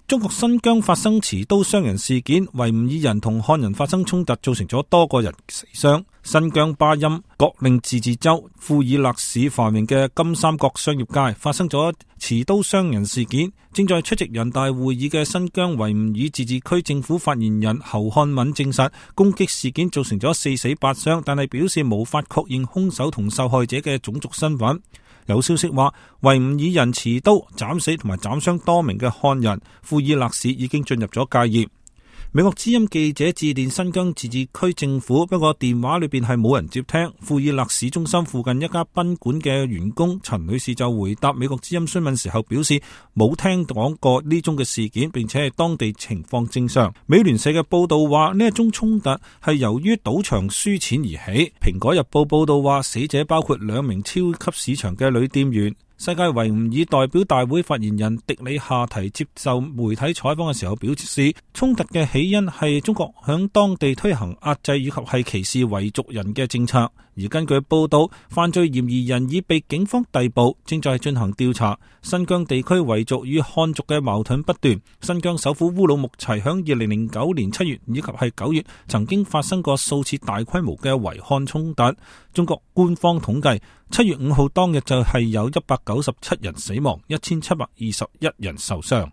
中國新疆發生持刀傷人事件，維吾爾人同漢人發生衝突，造成咗多個人死傷。新疆巴音各令自治州庫爾勒市繁榮嘅金三角商業街發生咗持刀傷人事件。正在出席人大會議嘅新疆維吾爾自治區政府發言人侯漢敏證實，攻擊事件造成咗4死8傷，但係表示無法確認兇手同受害者嘅種族身份。有消息話，維吾爾人持刀斬死同埋斬傷多名嘅漢人，庫爾勒市已經進入咗戒嚴。美國之音記者致電新疆自治區政府，不過電話裏邊係冇人接聽。庫爾勒市中心附近一家賓館嘅員工陳女士就回答美國之音詢問時候表示，冇聽講過呢宗嘅事件，並且係當地情況正常。美聯社嘅報道話，呢一宗衝突係由於賭場輸錢而起。蘋果日報報道話，死者包括2名超級市場嘅女店員。世界維吾爾代表大會發言人迪里夏提接受媒體採訪嘅時候表示，衝突嘅起因係中國響當地推行壓制以及係歧視維族人嘅政策。而根據報道，犯罪嫌疑人已被警方逮捕，正在進行調查。新疆地區維族與漢族嘅矛盾不斷。新疆首府烏魯木齊響2009年7月以及係9月曾經發生過數次大規模嘅維漢衝突。中國官方統計，7月5號當日就係有197人死亡，1721人受傷。